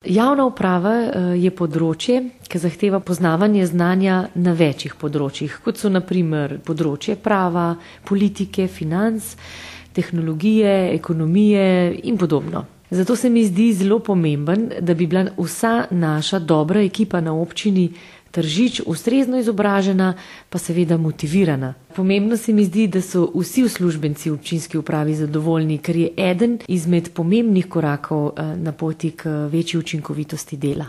Javna uprava je področje, ki zahteva poznavanje znanja na večjih področjih, kot so na primer področje prava, politike, financ, tehnologije, ekonomije in podobno. Zato se mi zdi zelo pomemben, da bi bila vsa naša dobra ekipa na občini Tržič ustrezno izobražena, pa seveda motivirana. Pomembno se mi zdi, da so vsi uslužbenci v občinski upravi zadovoljni, ker je eden izmed pomembnih korakov na poti k večji učinkovitosti dela.